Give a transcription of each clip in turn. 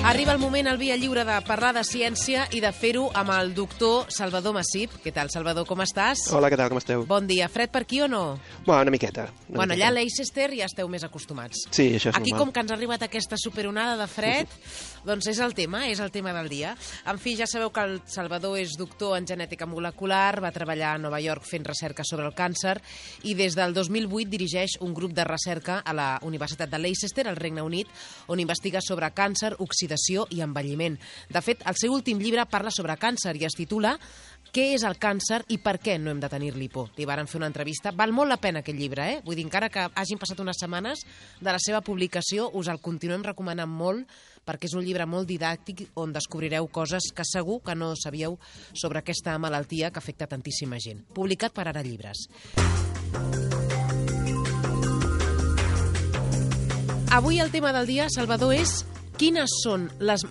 Arriba el moment al Via Lliure de parlar de ciència i de fer-ho amb el doctor Salvador Massip. Què tal, Salvador, com estàs? Hola, què tal, com esteu? Bon dia. Fred per aquí o no? Bueno, una miqueta. Allà a Leicester ja esteu més acostumats. Sí, això és Aquí, normal. com que ens ha arribat aquesta superonada de fred, doncs és el tema del dia. En fi, ja sabeu que el Salvador és doctor en genètica molecular, va treballar a Nova York fent recerca sobre el càncer i des del 2008 dirigeix un grup de recerca a la Universitat de Leicester, al Regne Unit, on investiga sobre càncer, oxidació i envelliment. De fet, el seu últim llibre parla sobre càncer i es titula Què és el càncer i per què no hem de tenir-li por? Li varen fer una entrevista. Val molt la pena aquest llibre, eh? Vull dir, encara que hagin passat unes setmanes de la seva publicació, us el continuem recomanant molt perquè és un llibre molt didàctic on descobrireu coses que segur que no sabíeu sobre aquesta malaltia que afecta tantíssima gent. Publicat per Ara Llibres. Avui el tema del dia, Salvador, és quines són les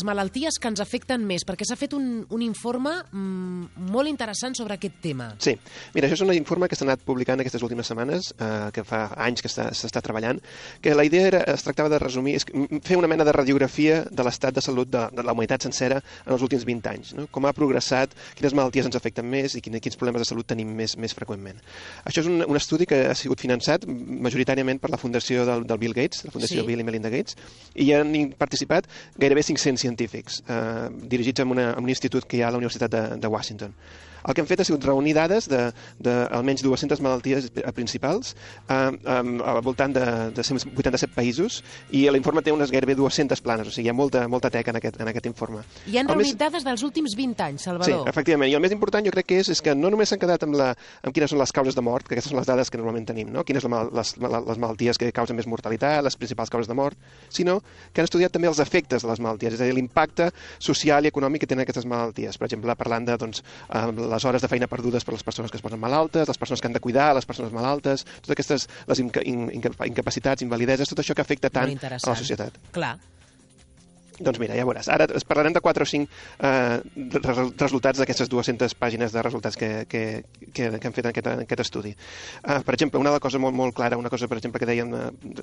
malalties que ens afecten més? Perquè s'ha fet un informe molt interessant sobre aquest tema. Sí. Mira, això és un informe que s'ha anat publicant aquestes últimes setmanes, que fa anys que s'està treballant, que la idea es tractava de resumir, fer una mena de radiografia de l'estat de salut de la humanitat sencera en els últims 20 anys. No? Com ha progressat, quines malalties ens afecten més i quins problemes de salut tenim més freqüentment. Això és un estudi que ha sigut finançat majoritàriament per la fundació del Bill Gates, la fundació Bill i Melinda Gates, i hi han participat gairebé 500 científics dirigits a un institut que hi ha a la Universitat de Washington. El que hem fet ha sigut reunir dades d'almenys 200 malalties principals al voltant de 187 països i l'informe té unes gairebé 200 planes, o sigui, hi ha molta teca en aquest informe. I han reunit dades dels últims 20 anys, Salvador. Sí, efectivament, i el més important jo crec que és que no només s'han quedat amb quines són les causes de mort, que aquestes són les dades que normalment tenim, no? Quines són les malalties que causen més mortalitat, les principals causes de mort, sinó que han estudiat també els efectes de les malalties, és a dir, l'impacte social i econòmic que tenen aquestes malalties. Per exemple, parlant de les hores de feina perdudes per les persones que es posen malaltes, les persones que han de cuidar, les persones malaltes, totes aquestes les incapacitats, invalideses, tot això que afecta tant a la societat. Clar. Doncs mira, ja veuràs. Ara parlarem de 4 o 5 resultats d'aquestes 200 pàgines de resultats que han fet en aquest estudi. Per exemple, una cosa molt clara, una cosa, per exemple, que dèiem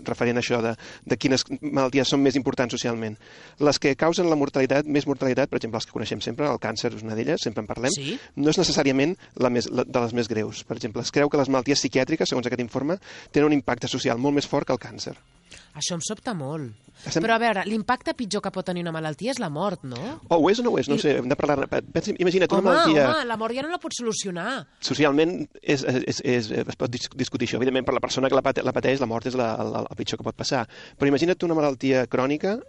referent a això de quines malalties són més importants socialment. Les que causen la mortalitat, més mortalitat, per exemple, les que coneixem sempre, el càncer és una d'elles, sempre en parlem, no és necessàriament de les més greus. Per exemple, es creu que les malalties psiquiàtriques, segons aquest informe, tenen un impacte social molt més fort que el càncer. Això em sobta molt. Però a veure, l'impacte pitjor que pot tenir una malaltia és la mort, no? O ho és o no ho és, no sé, hem de parlar... Imagina't una malaltia... Home, la mort ja no la pots solucionar. Socialment es pot discutir això. Evidentment, per la persona que la pateix, la mort és el pitjor que pot passar. Però imagina't una malaltia crònica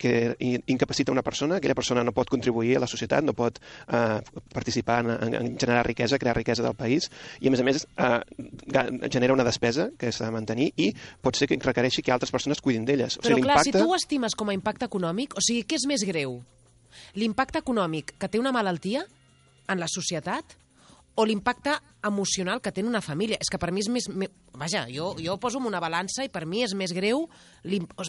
que incapacita una persona, aquella persona no pot contribuir a la societat, no pot participar en generar riquesa, crear riquesa del país, i a més genera una despesa que s'ha de mantenir i pot ser que requereixi que altres persones cuidin d'elles. Però clar, si tu ho estimes com a impacte econòmic, o sigui, què és més greu? L'impacte econòmic que té una malaltia en la societat o l'impacte emocional que té una família? És que per mi és més... Vaja, jo ho poso en una balança i per mi és més greu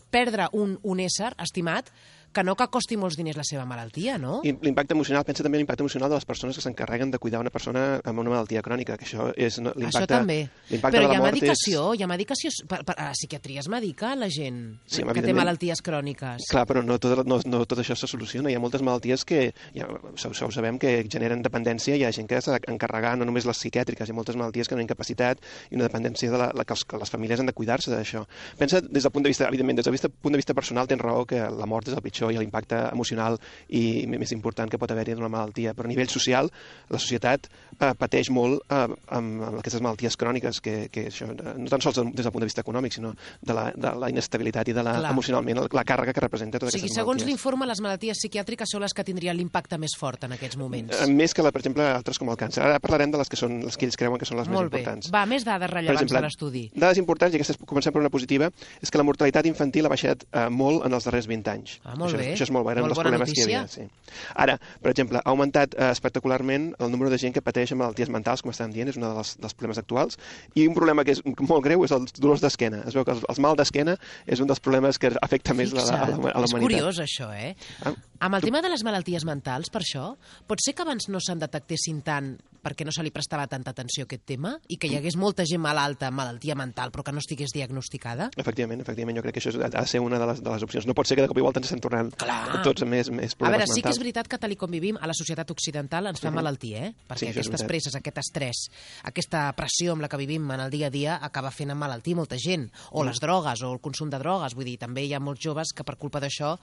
perdre un ésser estimat que no que costi molts diners la seva malaltia, no? I l'impacte emocional, pensa també en l'impacte emocional de les persones que s'encarreguen de cuidar una persona amb una malaltia crònica, que això és l'impacte... Això també. Però hi ha medicació, hi ha medicació... A la psiquiatria es medica la gent que té malalties cròniques. Clar, però no tot això se soluciona. Hi ha moltes malalties que, ho sabem, que generen dependència. Hi ha gent que s'ha d'encarregar, no només les psiquiàtriques, hi ha moltes malalties que han incapacitat i una dependència que les famílies han de cuidar-se d'això. Pensa des del punt de vista, evidentment, des del punt de vista personal, tens raó que la mort és el pitjor i l'impacte emocional i més important que pot haver-hi d'una malaltia. Però a nivell social, la societat pateix molt amb aquestes malalties cròniques, que això, no tan sols des del punt de vista econòmic, sinó de la inestabilitat i de emocionalment la càrrega que representa totes aquestes malalties. Segons l'informe, les malalties psiquiàtriques són les que tindrien l'impacte més fort en aquests moments. Més que, per exemple, altres com el càncer. Ara parlarem de les que ells creuen que són les més importants. Va, més dades rellevants de l'estudi. Dades importants, i aquestes comencem per una positiva, és que la mortalitat infantil ha baixat molt en els darrers 20 anys. Molt bé. Això és molt bo, eren dels problemes que hi havia. Sí. Ara, per exemple, ha augmentat espectacularment el número de gent que pateix malalties mentals, com estàvem dient, és un dels problemes actuals, i un problema que és molt greu és els dolors d'esquena. Es veu que els mal d'esquena és un dels problemes que afecta més a la humanitat. És curiós, això, eh? Amb el tema de les malalties mentals, per això, pot ser que abans no se'n detectessin tant perquè no se li prestava tanta atenció a aquest tema i que hi hagués molta gent malalta amb malaltia mental però que no estigués diagnosticada? Efectivament, jo crec que això ha de ser una de les opcions. No pot ser que de cop i volta ens estem tornant tots més problemes mentals. A veure, sí que és veritat que tal com vivim a la societat occidental ens fa malaltia, perquè aquestes presses, aquest estrès, aquesta pressió amb la que vivim en el dia a dia acaba fent emmalaltir molta gent, o les drogues o el consum de drogues, vull dir, també hi ha molts joves que per culpa d'això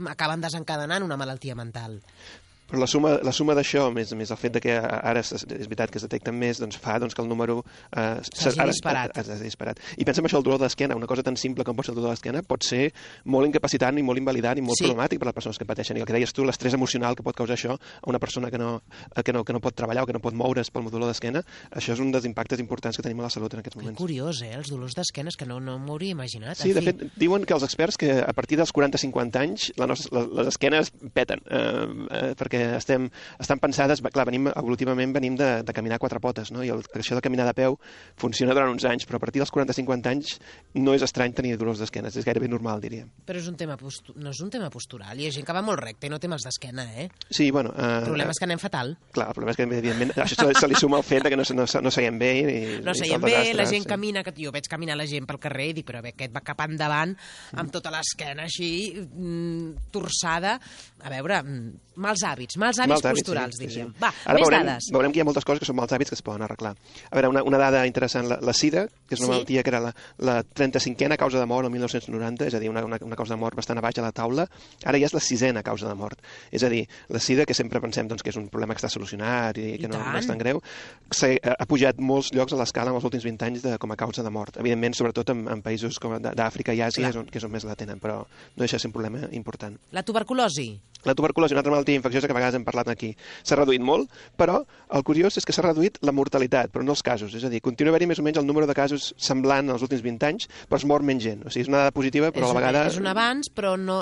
acaben desencadenant una malaltia mental. Però la suma d'això, més el fet de que ara és veritat que es detecten més, doncs fa que el número s'hagi disparat. I pensa en això, el dolor d'esquena, una cosa tan simple com pot ser el dolor d'esquena, pot ser molt incapacitant i molt invalidant i molt problemàtic per les persones que pateixen. I el que deies tu, l'estrès emocional que pot causar això a una persona que no pot treballar o que no pot moure's pel dolor d'esquena, això és un dels impactes importants que tenim a la salut en aquests moments. Que curiós, els dolors d'esquena, és que no m'ho hauria imaginat. Sí, de fet, diuen que els experts que a partir dels 40-50 anys les esquenes peten, perquè estan pensades, clar, evolutivament venim de caminar a quatre potes, no? I això de caminar de peu funciona durant uns anys, però a partir dels 40-50 anys no és estrany tenir dolors d'esquena, és gairebé normal, diríem. Però no és un tema postural, hi ha gent que va molt recte i no té mals d'esquena, Sí, bueno... El problema és que anem fatal. Clar, el problema és que, evidentment, això se li suma el fet que no seiem bé no seiem bé, la gent camina, que jo veig caminar la gent pel carrer i dic, però aquest va cap endavant amb tota l'esquena així torçada. A veure, mals hàbits posturals, diríem. Va, més dades. Veurem que hi ha moltes coses que són mals hàbits que es poden arreglar. A veure, una dada interessant, la SIDA, que és una malaltia que era la 35a causa de mort el 1990, és a dir, una causa de mort bastant a baix a la taula, ara ja és la 6a causa de mort. És a dir, la SIDA, que sempre pensem que és un problema que està solucionat i que no és tan greu, ha pujat molts llocs a l'escala en els últims 20 anys com a causa de mort. Evidentment, sobretot en països com d'Àfrica i Àsia, que és on més la tenen, però no deixa de ser un problema important. La tuberculosi. La tuberculosi, una altra malaltia infecciosa que a vegades hem parlat aquí. S'ha reduït molt, però el curiós és que s'ha reduït la mortalitat, però no els casos. És a dir, continua haver-hi més o menys el número de casos semblant als últims 20 anys, però es mor menys gent. O sigui, és una dada positiva, però a la vegada... És un avanç, però no...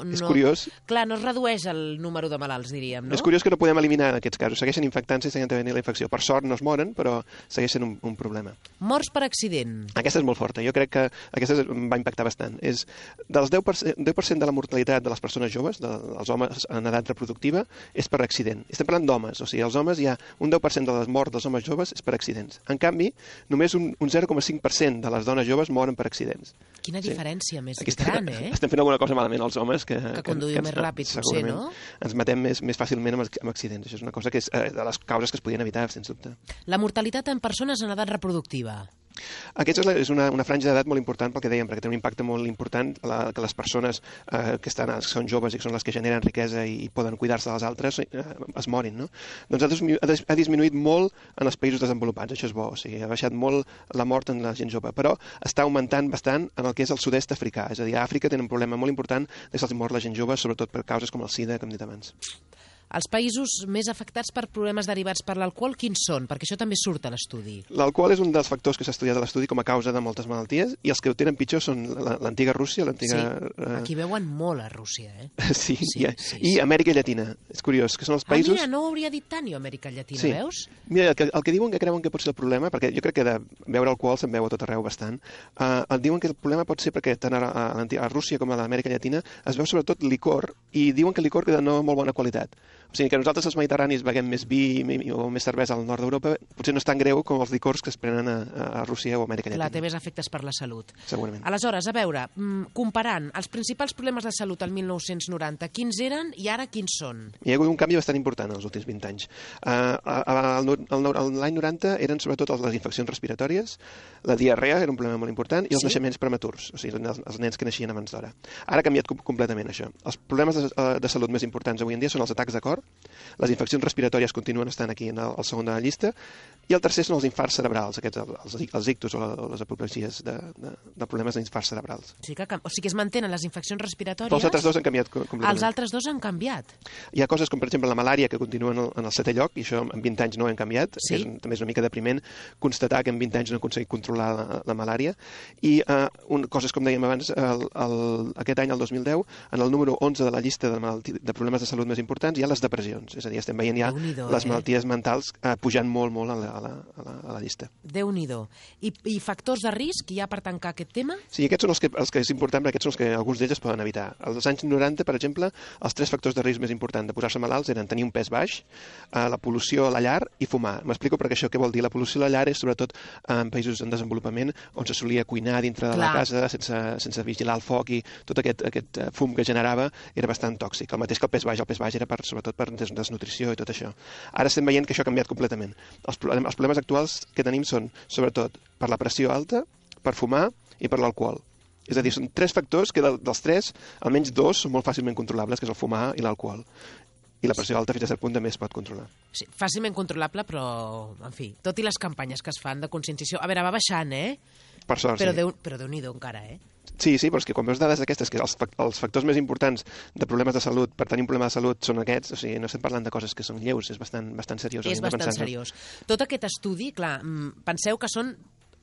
És curiós. Clar, no es redueix el número de malalts, diríem, no? És curiós que no podem eliminar aquests casos. Segueixen infectant-se i segueixen tenint la infecció. Per sort no es moren, però segueix sent un problema. Morts per accident. Aquesta és molt forta. Jo crec que aquesta va impactar bastant. És dels 10% de la mortalitat de les persones joves, dels homes en edat reproductiva, és per accident. Estem parlant d'homes, o sigui, els homes hi ha un 10% de les morts dels homes joves és per accidents. En canvi, només un 0,5% de les dones joves moren per accidents. Quina diferència més gran, Estem fent alguna cosa malament els homes que conduïm més ràpid, potser, no? Ens matem més fàcilment amb accidents. Això és una cosa que és de les causes que es podien evitar, sens dubte. La mortalitat en persones en edat reproductiva. Aquesta és una franja d'edat molt important pel que dèiem, perquè té un impacte molt important que les persones que són joves i que són les que generen riquesa i poden cuidar-se de les altres es morin, no? Doncs ha disminuït molt en els països desenvolupats, això és bo, o sigui, ha baixat molt la mort en la gent jove, però està augmentant bastant en el que és el sud-est africà, és a dir, a Àfrica tenen un problema molt important de que se'ls mort la gent jove, sobretot per causes com el SIDA, que hem dit abans. Els països més afectats per problemes derivats per l'alcohol, quins són? Perquè això també surt a l'estudi. L'alcohol és un dels factors que s'ha estudiat a l'estudi com a causa de moltes malalties, i els que ho tenen pitjor són l'antiga Rússia, Sí, aquí veuen molt a Rússia, Sí, i Amèrica Llatina. És curiós, que són els països... mira, no ho hauria dit tant, Amèrica Llatina, veus? Mira, el que diuen que creuen que pot ser el problema, perquè jo crec que de beure alcohol se'n veu a tot arreu bastant, diuen que el problema pot ser perquè tant a Rússia com a l'Amèrica Llatina es veu sobretot licor, i diuen que el licor de no molt bona qualitat. O sigui, que nosaltres els mediterranis beguem més vi o més cervesa al nord d'Europa, potser no és tan greu com els licors que es prenen a Rússia o Amèrica Llatina. Clar, té més efectes per la salut. Segurament. Aleshores, a veure, comparant els principals problemes de salut al 1990, quins eren i ara quins són? Hi ha hagut un canvi bastant important en els últims 20 anys. L'any 90 eren sobretot les infeccions respiratòries, la diarrea era un problema molt important, i els naixements prematurs, o sigui, els nens que naixien abans d'hora. Ara ha canviat completament això. Els problemes de salut més importants avui en dia són els atacs de cor, les infeccions respiratòries continuen estant aquí al segon de la llista, i el tercer són els infarts cerebrals, els ictus o les apoplegies de problemes d'infarts cerebrals. O sigui que es mantenen les infeccions respiratòries... Però els altres dos han canviat completament. Els altres dos han canviat. Hi ha coses com, per exemple, la malària, que continua en el 7è lloc, i això en 20 anys no ho hem canviat. També és una mica depriment constatar que en 20 anys no hem aconseguit controlar la malària. I coses, com dèiem abans, aquest any, el 2010, en el número 11 de la llista de problemes de salut més importants, hi ha les depressions. És a dir, estem veient ja les malalties mentals pujant molt, molt a la llista. Déu-n'hi-do. I factors de risc hi ha per tancar aquest tema? Sí, aquests són els que és important, perquè aquests són els que alguns d'ells es poden evitar. Als anys 90, per exemple, els 3 factors de risc més importants de posar-se malalts eren tenir un pes baix, la pol·lució a la llar i fumar. M'explico perquè això què vol dir. La pol·lució a la llar és sobretot en països en desenvolupament on se solia cuinar dintre de la casa sense vigilar el foc i tot aquest fum que generava era bastant tòxic. El mateix que el pes baix. El pes baix era sobretot per desnutrició i tot això. Ara estem veient que això ha canviat completament. Els problemes actuals que tenim són sobretot per la pressió alta, per fumar i per l'alcohol. És a dir, són 3 factors que dels 3, almenys 2 són molt fàcilment controlables, que és el fumar i l'alcohol. I la pressió alta fins a cert punt també es pot controlar. Sí, fàcilment controlable, però, en fi, tot i les campanyes que es fan de conscienciació... A veure, va baixant, Per sort, però sí. Però Déu-n'hi-do encara, Sí, però és que quan veus dades d'aquestes, que els factors més importants de problemes de salut, per tenir un problema de salut, són aquests, o sigui, no estem parlant de coses que són lleus, és bastant seriós. És bastant seriós. Tot aquest estudi, clar, penseu que són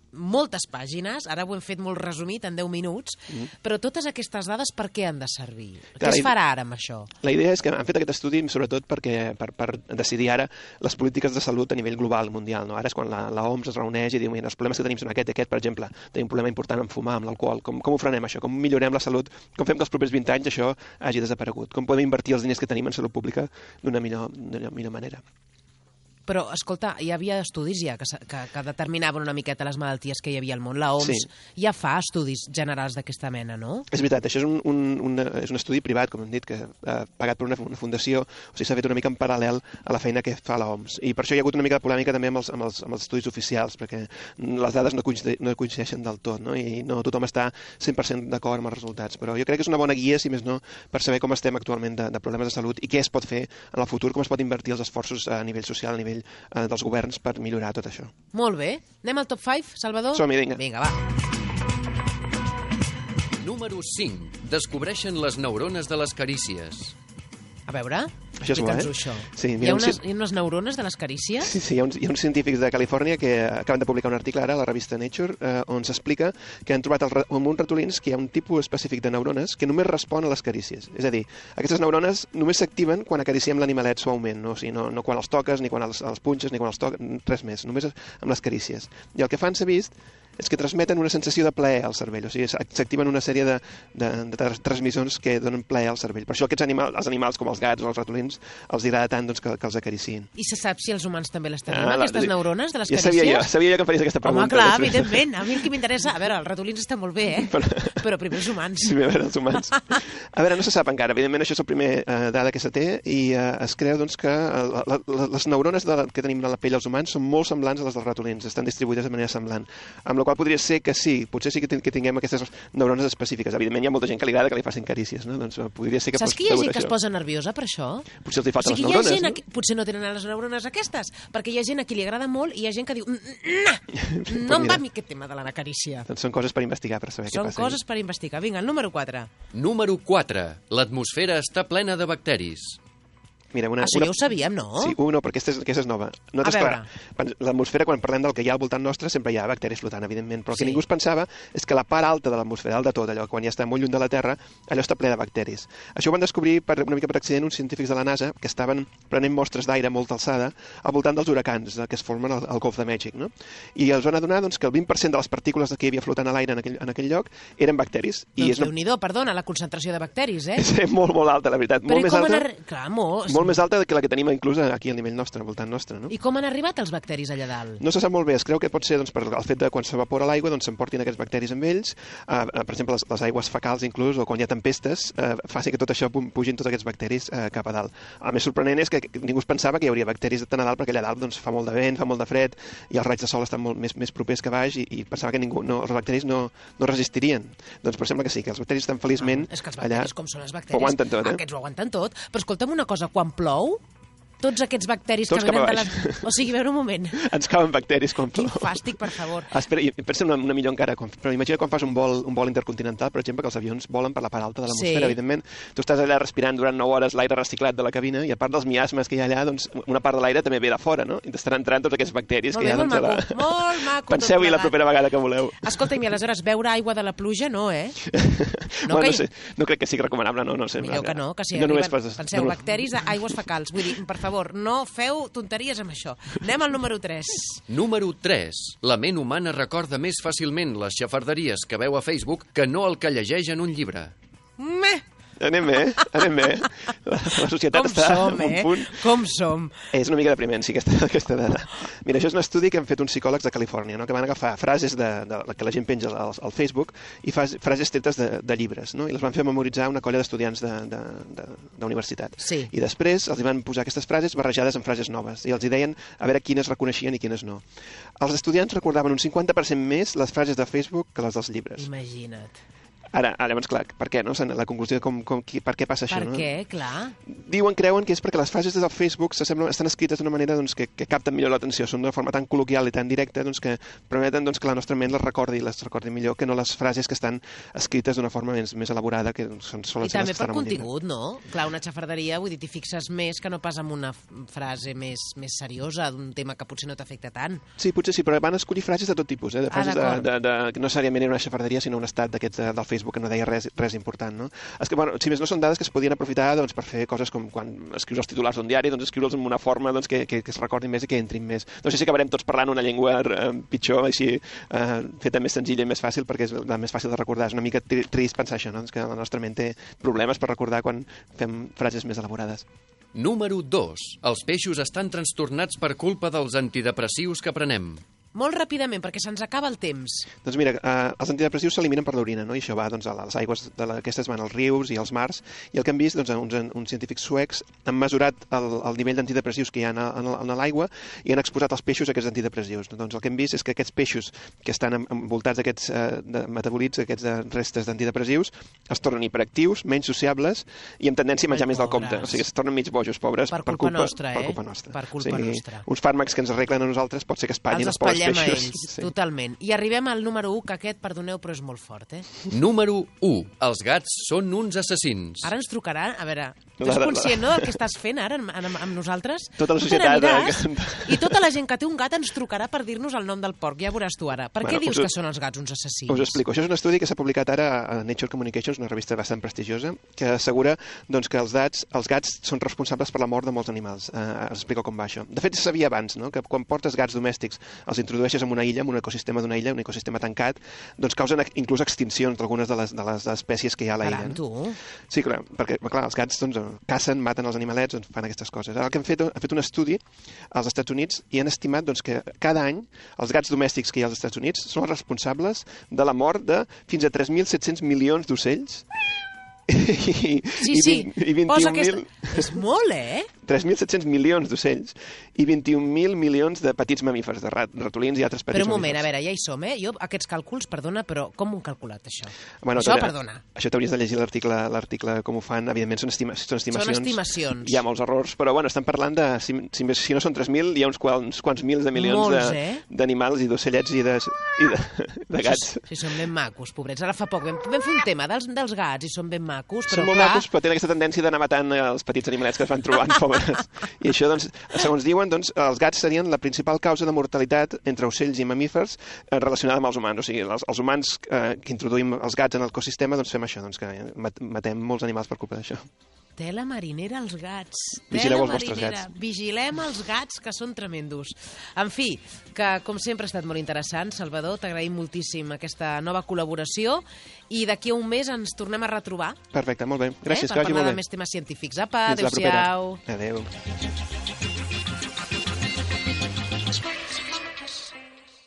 moltes pàgines, ara ho hem fet molt resumit en 10 minuts, però totes aquestes dades per què han de servir? Què es farà ara amb això? La idea és que han fet aquest estudi sobretot per decidir ara les polítiques de salut a nivell global, mundial. No? Ara és quan la OMS es reuneix i diu els problemes que tenim són aquest, per exemple, tenim un problema important amb fumar, amb l'alcohol, com ho frenem això, com millorem la salut, com fem que els propers 20 anys això hagi desaparegut, com podem invertir els diners que tenim en salut pública d'una millor manera. Però, escolta, hi havia estudis ja que determinaven una miqueta les malalties que hi havia al món. La OMS ja fa estudis generals d'aquesta mena, no? És veritat, això és un estudi privat, com hem dit, que pagat per una fundació, o sigui, s'ha fet una mica en paral·lel a la feina que fa la OMS. I per això hi ha hagut una mica de polèmica també amb els estudis oficials, perquè les dades no coincideixen del tot, no? I no tothom està 100% d'acord amb els resultats. Però jo crec que és una bona guia, si més no, per saber com estem actualment de problemes de salut i què es pot fer en el futur, com es pot invertir els esforços a nivell social, a nivell dels governs per millorar tot això. Molt bé. Anem al top 5, Salvador? Som-hi, vinga. Vinga, va. Número 5. Descobreixen les neurones de les carícies. A veure, això és bo, això. Sí, hi ha unes neurones de les carícies? Sí, hi ha uns científics de Califòrnia que acaben de publicar un article ara a la revista Nature on s'explica que han trobat en uns ratolins que hi ha un tipus específic de neurones que només respon a les carícies. És a dir, aquestes neurones només s'activen quan acariciem l'animalet suaument, no? O sigui, no quan els toques, ni quan els punxes, ni quan els toques, res més, només amb les carícies. I el que fan, s'ha vist, és que transmeten una sensació de plaer al cervell, o sigui, s'activen una sèrie de transmissors que donen plaer al cervell. Per això els animals com els gats o els ratolins els agrada tant que els acariciïn. I se sap si els humans també les tenim, aquestes neurones de les carícies? Sabia jo que em faries aquesta pregunta. Home, clar, evidentment, a mi el que m'interessa... A veure, els ratolins estan molt bé, però primer els humans. Sí, a veure, els humans. A veure, no se sap encara, evidentment això és el primer dada que se té i es creu doncs, que les neurones que tenim a la pell dels humans són molt semblants a les dels ratolins, estan distribuïdes de manera semblant, amb la qual podria ser que sí, potser sí que tinguem aquestes neurones específiques. Evidentment hi ha molta gent que li agrada que li facin carícies, no? Doncs podria ser que saps que hi ha gent que es posa nerviosa per això? Potser els hi falten les neurones, no? Potser no tenen les neurones aquestes, perquè hi ha gent a qui li agrada molt i hi ha gent que diu no em va a mi aquest tema de la carícia. Doncs són coses per investigar, per saber què passa. Són coses per investigar. Vinga, el número 4. Número 4. L'atmosfera està plena de bacteris. Mira, això ja ho sabíem, no? Sí, no, perquè aquesta és nova. Nosaltres, clar, l'atmosfera, quan parlem del que hi ha al voltant nostre, sempre hi ha bacteris flotant, evidentment, però el que ningú es pensava és que la part alta de l'atmosfera, dalt de tot, allò, quan ja està molt lluny de la Terra, allò està ple de bacteris. Això ho van descobrir una mica per accident uns científics de la NASA que estaven prenent mostres d'aire a molta alçada al voltant dels huracans que es formen al Golf de Mèxic, no? I es van adonar doncs, que el 20% de les partícules que hi havia flotant a l'aire en aquell lloc eren bacteris. Doncs Déu-n'hi-do, perdona, la concentració de bacteris, És molt, molt alta, la veritat. Però molt més alta que la que tenim inclús aquí al nivell nostre, al voltant nostre, no? I com han arribat els bacteris allà dalt? No se sap molt bé, es creu que pot ser doncs, per el fet de quan s'evapora l'aigua doncs s'emportin aquests bacteris amb ells, per exemple les aigües fecals inclús, o quan hi ha tempestes, faci que tot això pugin tots aquests bacteris cap a dalt. El més sorprenent és que ningú es pensava que hi hauria bacteris tan a dalt, perquè allà dalt doncs, fa molt de vent, fa molt de fred, i els raigs de sol estan molt més propers que baix, i pensava que els bacteris no resistirien. Doncs però sembla que sí, que els bacteris estan feliçment és que els bacteris, com són els bacteris, ho aguanten tot, aquests ho aguanten tot. Però escolta'm una cosa, quan plou, tots aquests bacteris Tots que venen cap de a les... O sigui, a veure un moment. Ens cauen bacteris quan Quin plou. fàstic, per favor. Espera, i pensa una millor encara, però imagina quan fas un vol intercontinental, per exemple, que els avions volen per la part alta de l'atmosfera, Sí. evidentment. Tu estàs allà respirant durant 9 hores l'aire reciclat de la cabina i a part dels miasmes que hi ha allà, doncs una part de l'aire també ve de fora, no? I t'estan entrant tots aquests bacteris Molt que bé, hi ha, molt doncs, maco, molt maco. Penseu-hi la propera vegada que voleu. Escolta'm, i aleshores, beure aigua de la pluja, no, eh? No, no sé, no crec que sigui recomanable, no sé. Millor que no, que si no arriben, només poses- penseu, no, bacteris d'aigües fecals. Vull dir, per favor, no feu tonteries amb això. Anem al número 3. Número 3. La ment humana recorda més fàcilment les xafarderies que veu a Facebook que no el que llegeix en un llibre. Meh! Anem bé. La societat Com està som, en un punt. Com som. És una mica depriment, sí, aquesta dada. Mira, això és un estudi que han fet uns psicòlegs de Califòrnia, no? Que van agafar frases que la gent penja al Facebook i frases tretes de llibres, no? I les van fer memoritzar una colla d'estudiants d'universitat. Sí. I després els van posar aquestes frases barrejades amb frases noves i els hi deien a veure quines reconeixien i quines no. Els estudiants recordaven un 50% més les frases de Facebook que les dels llibres. Imagina't. Ara, llavors, clar, per què, no? La conclusió de per què passa això, no? Per què? Clar. Creuen que és perquè les frases del Facebook estan escrites d'una manera doncs, que capten millor l'atenció, són d'una forma tan col·loquial i tan directa doncs, que permeten doncs, que la nostra ment les recordi millor que no les frases que estan escrites d'una forma més elaborada, que solen I ser les també que estan per en un llibre. contingut, no? Clar, una xafarderia, vull dir, t'hi fixes més que no pas amb una frase més seriosa d'un tema que potser no t'afecta tant. Sí, potser sí, però van escollir frases de tot tipus, de frases d'acord. que no necessàriament era una xafarderia, sinó un estat d'aquests del Facebook que no deia res important, no? És que, bueno, si més no són dades que es podien aprofitar doncs, per fer coses com quan escrius els titulars d'un diari, doncs escriure'ls en una forma doncs, que es recordin més i que entrin més. No sé si acabarem tots parlant una llengua pitjor, així, feta més senzilla i més fàcil, perquè és la més fàcil de recordar. És una mica trist pensar això, no? Doncs que la nostra ment té problemes per recordar quan fem frases més elaborades. Número 2. Els peixos estan trastornats per culpa dels antidepressius que prenem. Molt ràpidament, perquè se'ns acaba el temps. Doncs mira, els antidepressius s'eliminen per l'orina, no? I això va doncs, a les aigües aquestes van als rius i als mars, i el que han vist, doncs, uns científics suecs han mesurat el nivell d'antidepressius que hi ha en l'aigua i han exposat els peixos a aquests antidepressius. Doncs el que hem vist és que aquests peixos que estan envoltats d'aquests metabolits, aquests restes d'antidepressius, es tornen hiperactius, menys sociables i amb tendència a menjar més del compte. O sigui, es tornen mig bojos, pobres, Per culpa nostra, per culpa nostra. Per culpa nostra. Uns fàrmacs que ens arreglen a nosaltres pot ser que espatllin els pobres a peixos. ells, totalment. I arribem al número 1, que aquest, perdoneu, però és molt fort, eh? Número 1. Els gats són uns assassins. Ara ens trucaran, a veure, tu ets conscient, no?, del que estàs fent ara amb nosaltres? Tota la Tu societat, te n'aniràs i tota la gent que té un gat ens trucarà per dir-nos el nom del porc, ja veuràs tu ara. Per què dius que són els gats uns assassins? Us ho explico. Això és un estudi que s'ha publicat ara a Nature Communications, una revista bastant prestigiosa, que assegura doncs, que els gats són responsables per la mort de molts animals. Us explico com va això. De fet, se sabia abans, no?, que quan portes gats domèstics, els introdueixes en una illa, en un ecosistema d'una illa, un ecosistema tancat, doncs causen inclús extincions d'algunes de les espècies que hi ha a la illa. Caram, tu. Sí, clar, perquè clar, els gats doncs, cacen, maten els animalets, doncs, fan aquestes coses. Ara el que han fet un estudi als Estats Units i han estimat doncs, que cada any els gats domèstics que hi ha als Estats Units són els responsables de la mort de fins a 3.700 milions d'ocells i 21.000... És molt, eh? 3.700 milions d'ocells i 21.000 milions de petits mamífers, de ratolins i altres petits mamífers. Però un moment, mamífers. a veure, ja hi som, eh? Jo aquests càlculs, perdona, però com ho han calculat, això? Bueno, això, perdona. Això t'hauries de llegir l'article com ho fan, evidentment són estimacions. Són estimacions. Hi ha molts errors, però bueno, estan parlant de, si no són 3.000, hi ha uns quants mils de milions d'animals i d'ocellets i de gats. Sí, són ben macos, pobrets. Ara fa poc vam fer un tema dels gats i són ben macos, però són molt macos, però tenen aquesta tendència d'anar matant els petits animalets que es van trobant, pobres. I això, doncs, segons diuen, doncs, els gats serien la principal causa de mortalitat entre ocells i mamífers relacionada amb els humans. O sigui, els humans que introduïm els gats en l'ecosistema, doncs fem això, doncs, que matem molts animals per culpa d'això. Tela marinera als gats. Vigileu els vostres gats. Vigilem els gats, que són tremendos. En fi, que com sempre ha estat molt interessant. Salvador, t'agraïm moltíssim aquesta nova col·laboració i d'aquí a un mes ens tornem a retrobar. Perfecte, molt bé. Gràcies, que vagi molt bé. Per parlar de més temes científics. Apa, adéu-siau. Adéu.